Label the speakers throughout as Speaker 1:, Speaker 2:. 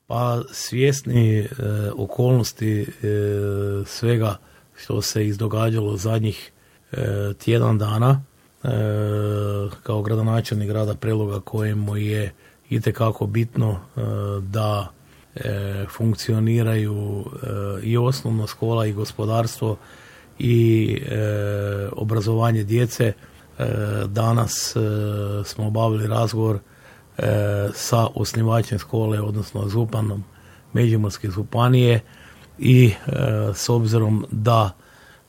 Speaker 1: Pa svjesni okolnosti svega što se izdogađalo zadnjih tjedan dana, kao gradonačelnik grada Preloga kojemu je itekako bitno da funkcioniraju i osnovna škola i gospodarstvo i obrazovanje djece. Danas smo obavili razgovor sa osnivačem škole, odnosno županom Međimurske županije i s obzirom da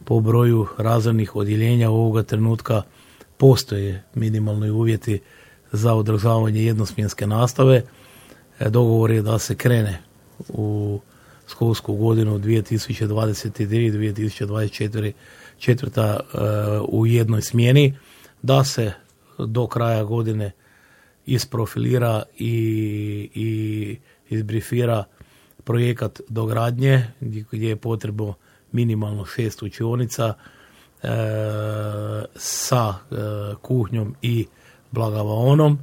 Speaker 1: po broju razrednih odjeljenja ovoga trenutka postoje minimalni uvjeti za održavanje jednosmjenske nastave, dogovor je da se krene u školsku godinu 2023-2024 u jednoj smjeni, da se do kraja godine isprofilira i izbrifira projekat dogradnje gdje je potrebno minimalno 6 učionica sa kuhnjom i blagavaonom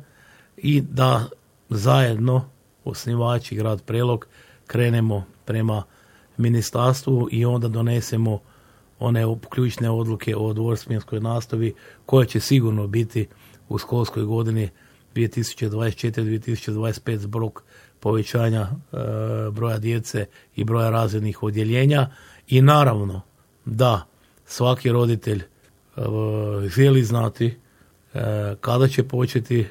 Speaker 1: i da zajedno osnivači grad Prelog krenemo prema ministarstvu i onda donesemo one ključne odluke o dvosmjenskoj nastavi koja će sigurno biti u školskoj godini 2024-2025 zbog povećanja broja djece i broja razrednih odjeljenja i naravno da svaki roditelj želi znati kada će početi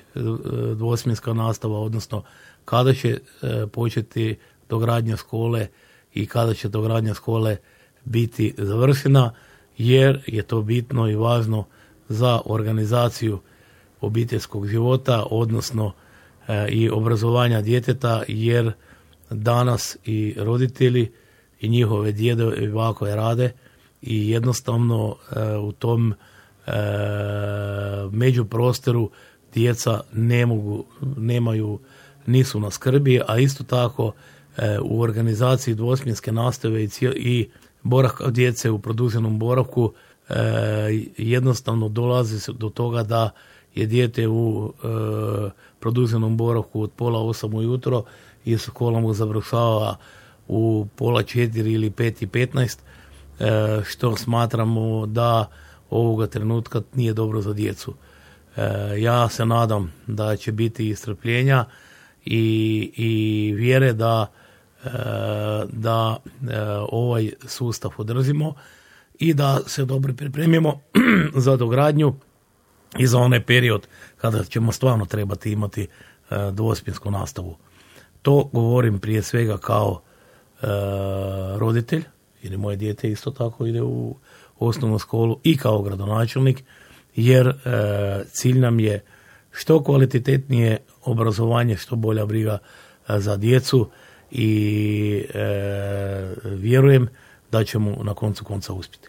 Speaker 1: dvosmjenska nastava, odnosno kada će početi dogradnja škole i kada će dogradnja škole biti završena, jer je to bitno i važno za organizaciju obiteljskog života, odnosno i obrazovanja djeteta, jer danas i roditelji i njihove djedove i bakove rade i jednostavno u tom međuprostoru djeca nisu na skrbi, a isto tako u organizaciji dvosmjenske nastave i boravka djece u produženom boravku jednostavno dolazi do toga da je dijete u produženom boravku od 7:30 ujutro i škola mu završava u 3:30 ili 5:15, što smatramo da ovoga trenutka nije dobro za djecu. Ja se nadam da će biti istrpljenja i vjere da ovaj sustav održimo i da se dobro pripremimo za dogradnju i za onaj period kada ćemo stvarno trebati imati dvosmjensku nastavu. To govorim prije svega kao roditelj, jer moje dijete isto tako ide u osnovnu školu, i kao gradonačelnik, jer cilj nam je što kvalitetnije obrazovanje, što bolja briga za djecu i vjerujem da ćemo na koncu konca uspjeti.